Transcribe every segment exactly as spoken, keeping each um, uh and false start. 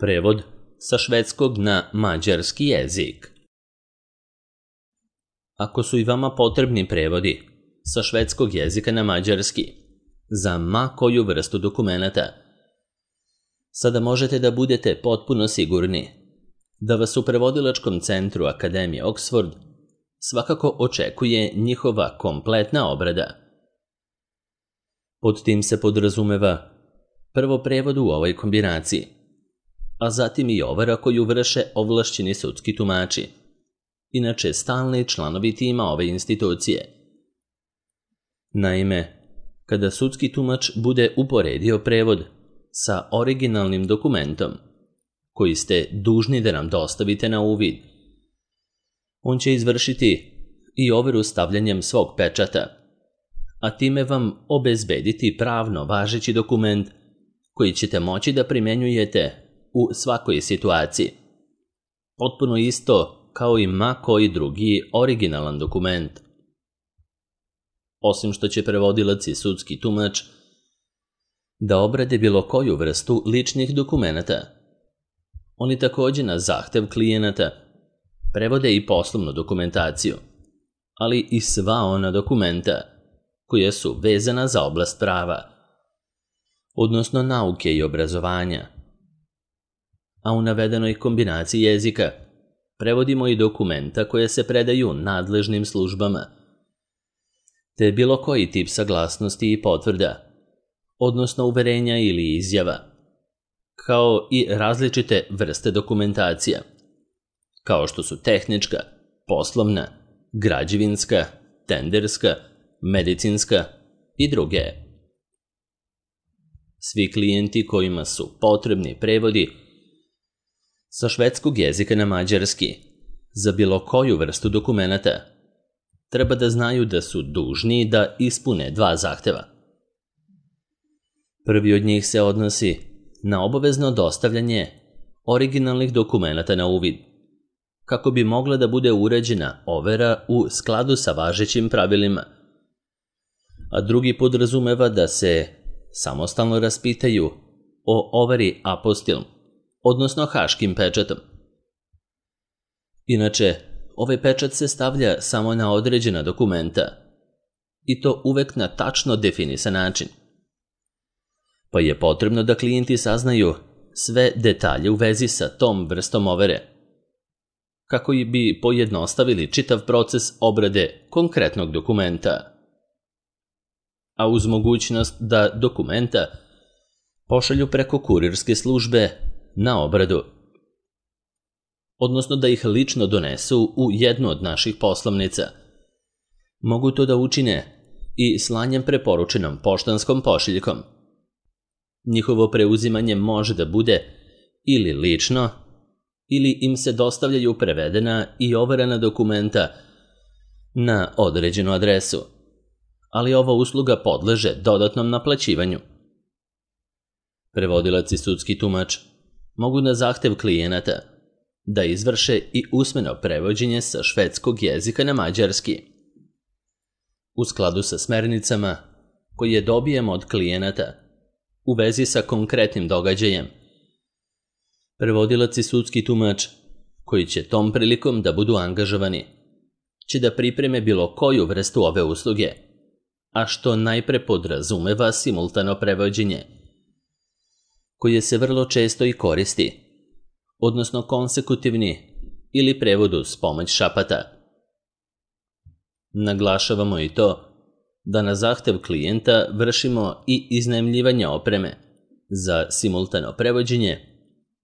Prevod sa švedskog na mađarski jezik. Ako su i vama potrebni prevodi sa švedskog jezika na mađarski za ma koju vrstu dokumenata, sada možete da budete potpuno sigurni da vas u prevodilačkom centru Akademije Oxford svakako očekuje njihova kompletna obrada. Pod tim se podrazumeva prvo prevod u ovoj kombinaciji, a zatim i overa koju vrše ovlašćeni sudski tumači, inače stalni članovi tima ove institucije. Naime, kada sudski tumač bude uporedio prevod sa originalnim dokumentom koji ste dužni da nam dostavite na uvid, on će izvršiti i overu stavljanjem svog pečata, a time vam obezbediti pravno važeći dokument koji ćete moći da primenjujete u svakoj situaciji. Potpuno isto kao i ma koji drugi originalan dokument. Osim što će prevodilac i sudski tumač da obrade bilo koju vrstu ličnih dokumenata, oni također na zahtev klijenata prevode i poslovnu dokumentaciju, ali i sva ona dokumenta koja su vezana za oblast prava, odnosno nauke i obrazovanja. A u navedenoj kombinaciji jezika prevodimo i dokumenta koje se predaju nadležnim službama, te bilo koji tip saglasnosti i potvrda, odnosno uverenja ili izjava, kao i različite vrste dokumentacija, kao što su tehnička, poslovna, građevinska, tenderska, medicinska i druge. Svi klijenti kojima su potrebni prevodi sa švedskog jezika na mađarski za bilo koju vrstu dokumenata treba da znaju da su dužni da ispune dva zahteva. Prvi od njih se odnosi na obavezno dostavljanje originalnih dokumenata na uvid, kako bi mogla da bude urađena overa u skladu sa važećim pravilima, a drugi podrazumeva da se samostalno raspitaju o overi apostil, odnosno haškim pečatom. Inače, ovaj pečat se stavlja samo na određena dokumenta, i to uvek na tačno definisan način. Pa je potrebno da klijenti saznaju sve detalje u vezi sa tom vrstom overe, kako bi pojednostavili čitav proces obrade konkretnog dokumenta, a uz mogućnost da dokumenta pošalju preko kurirske službe na obradu, odnosno da ih lično donesu u jednu od naših poslovnica. Mogu to da učine i slanjem preporučenom poštanskom pošiljkom. Njihovo preuzimanje može da bude ili lično, ili im se dostavljaju prevedena i overena dokumenta na određenu adresu, ali ova usluga podleže dodatnom naplaćivanju. Prevodilac i sudski tumač mogu na zahtev klijenata da izvrše i usmeno prevođenje sa švedskog jezika na mađarski, u skladu sa smernicama koje dobijemo od klijenata u vezi sa konkretnim događajem. Prevodilac i sudski tumač, koji će tom prilikom da budu angažovani, će da pripreme bilo koju vrstu ove usluge, a što najpre podrazumeva simultano prevođenje, koje se vrlo često i koristi, odnosno konsekutivni ili prevod uz pomoć šapata. Naglašavamo i to da na zahtev klijenta vršimo i iznajmljivanje opreme za simultano prevođenje,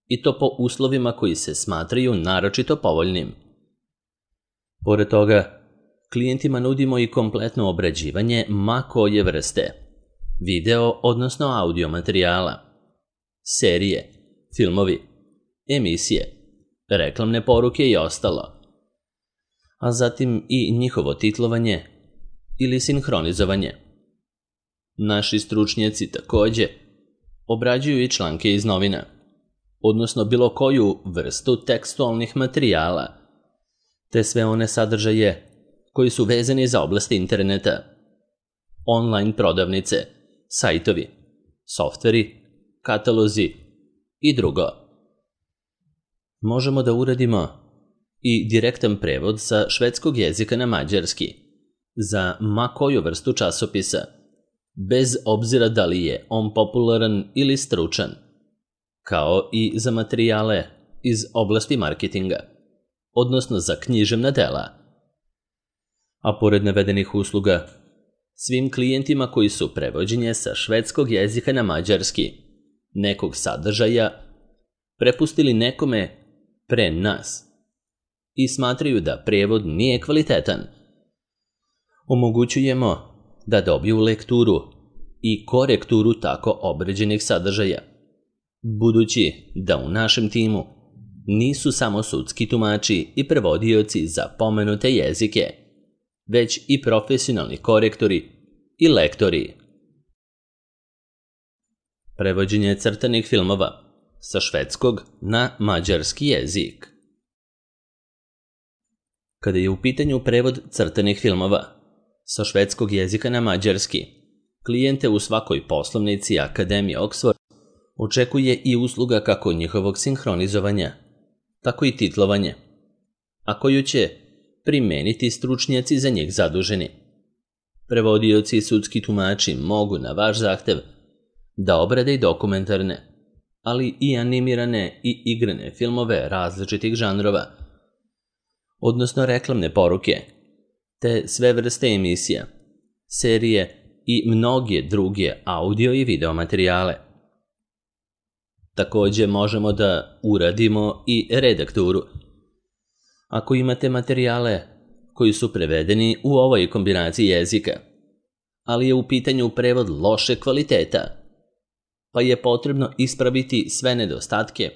i to po uslovima koji se smatraju naročito povoljnim. Pored toga, klijentima nudimo i kompletno obrađivanje ma koje vrste video, odnosno audio materijala, serije, filmovi, emisije, reklamne poruke i ostalo, a zatim i njihovo titlovanje ili sinhronizovanje. Naši stručnjaci također obrađuju i članke iz novina, odnosno bilo koju vrstu tekstualnih materijala, te sve one sadržaje koji su vezani za oblasti interneta, online prodavnice, sajtovi, softveri, katalozi i drugo. Možemo da uradimo i direktan prevod sa švedskog jezika na mađarski za ma koju vrstu časopisa, bez obzira da li je on popularan ili stručan, kao i za materijale iz oblasti marketinga, odnosno za književna dela. A pored navedenih usluga, svim klijentima koji su prevođenje sa švedskog jezika na mađarski nekog sadržaja prepustili nekome pre nas i smatraju da prevod nije kvalitetan, omogućujemo da dobiju lekturu i korekturu tako obrađenih sadržaja, budući da u našem timu nisu samo sudski tumači i prevodioci za pomenute jezike, već i profesionalni korektori i lektori. Prevođenje crtanih filmova sa švedskog na mađarski jezik. Kada je u pitanju prevod crtanih filmova sa švedskog jezika na mađarski, klijente u svakoj poslovnici Akademije Oxford očekuje i usluga kako njihovog sinhronizovanja, tako i titlovanje, a koju će primeniti stručnjaci za njih zaduženi. Prevodioci i sudski tumači mogu na vaš zahtev da obrade i dokumentarne, ali i animirane i igrane filmove različitih žanrova, odnosno reklamne poruke, te sve vrste emisija, serije i mnoge druge audio i video materijale. Takođe možemo da uradimo i redakturu. Ako imate materijale koji su prevedeni u ovoj kombinaciji jezika, ali je u pitanju prevod loše kvaliteta, pa je potrebno ispraviti sve nedostatke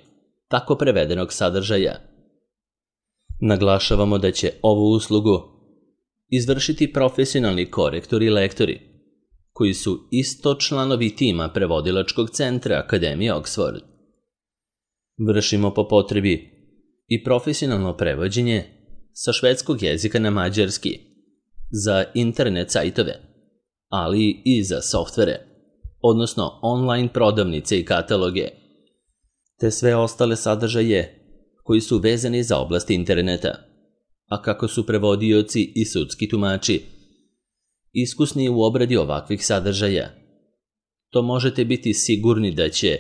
tako prevedenog sadržaja. Naglašavamo da će ovu uslugu izvršiti profesionalni korektori i lektori, koji su isto članovi tima prevodilačkog centra Akademije Oxford. Vršimo po potrebi i profesionalno prevođenje sa švedskog jezika na mađarski za internet sajtove, ali i za softvere, odnosno online prodavnice i kataloge, te sve ostale sadržaje koji su vezani za oblast interneta, a kako su prevodioci i sudski tumači iskusni u obradi ovakvih sadržaja, to možete biti sigurni da će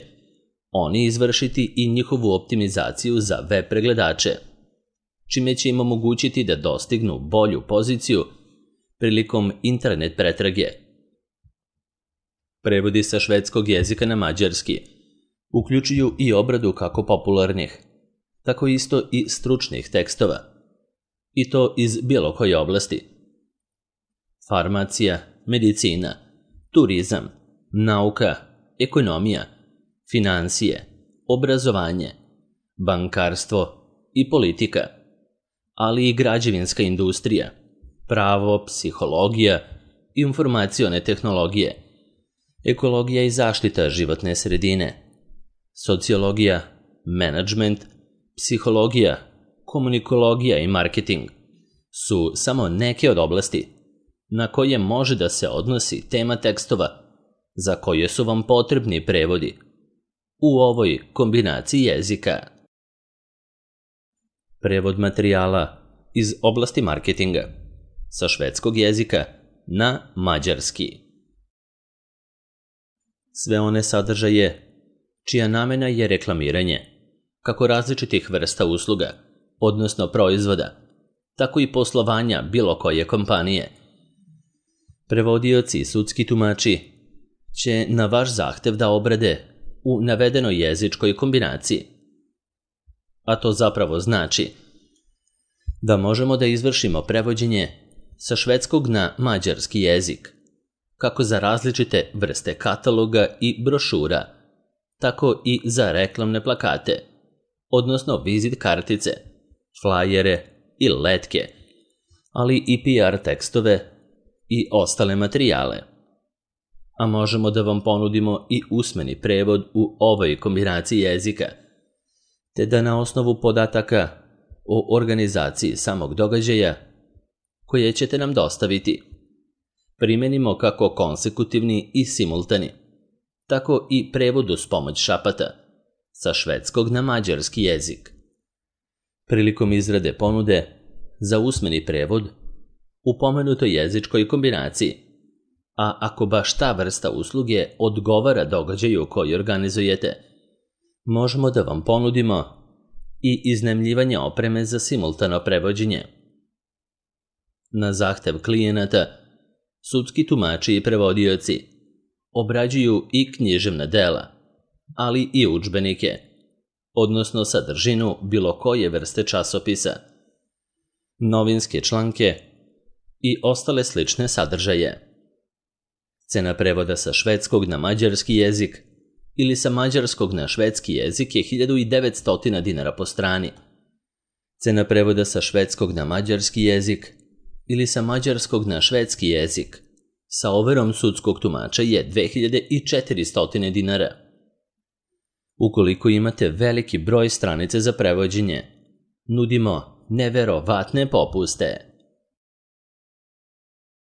oni izvršiti i njihovu optimizaciju za web pregledače, čime će im omogućiti da dostignu bolju poziciju prilikom internet pretrage. Prevodi sa švedskog jezika na mađarski uključuju i obradu kako popularnih, tako isto i stručnih tekstova, i to iz bilo koje oblasti. Farmacija, medicina, turizam, nauka, ekonomija, finansije, obrazovanje, bankarstvo i politika, ali i građevinska industrija, pravo, psihologija, informacione tehnologije, ekologija i zaštita životne sredine, sociologija, menadžment, psihologija, komunikologija i marketing su samo neke od oblasti na koje može da se odnosi tema tekstova za koje su vam potrebni prevodi u ovoj kombinaciji jezika. Prevod materijala iz oblasti marketinga sa švedskog jezika na mađarski. Sve one sadržaje čija namena je reklamiranje kako različitih vrsta usluga, odnosno proizvoda, tako i poslovanja bilo koje kompanije. Prevodioci i sudski tumači će na vaš zahtev da obrade u navedenoj jezičkoj kombinaciji. A to zapravo znači da možemo da izvršimo prevođenje sa švedskog na mađarski jezik, kako za različite vrste kataloga i brošura, tako i za reklamne plakate, odnosno vizit kartice, flajere i letke, ali i P R tekstove i ostale materijale. A možemo da vam ponudimo i usmeni prevod u ovoj kombinaciji jezika, te da na osnovu podataka o organizaciji samog događaja koje ćete nam dostaviti primenimo kako konsekutivni i simultani, tako i prevod uz pomoć šapata sa švedskog na mađarski jezik, Prilikom izrade ponude za usmeni prevod u pomenutoj jezičkoj kombinaciji, a ako baš ta vrsta usluge odgovara događaju koji organizujete, možemo da vam ponudimo i iznajmljivanje opreme za simultano prevođenje. Na zahtev klijenata, sudski tumači i prevodioci obrađuju i književna dela, ali i udžbenike, odnosno sadržinu bilo koje vrste časopisa, novinske članke i ostale slične sadržaje. Cena prevoda sa švedskog na mađarski jezik ili sa mađarskog na švedski jezik je hiljadu devetsto dinara po strani. Cena prevoda sa švedskog na mađarski jezik ili sa mađarskog na švedski jezik sa overom sudskog tumača je dve hiljade četiristo dinara. Ukoliko imate veliki broj stranice za prevođenje, nudimo neverovatne popuste.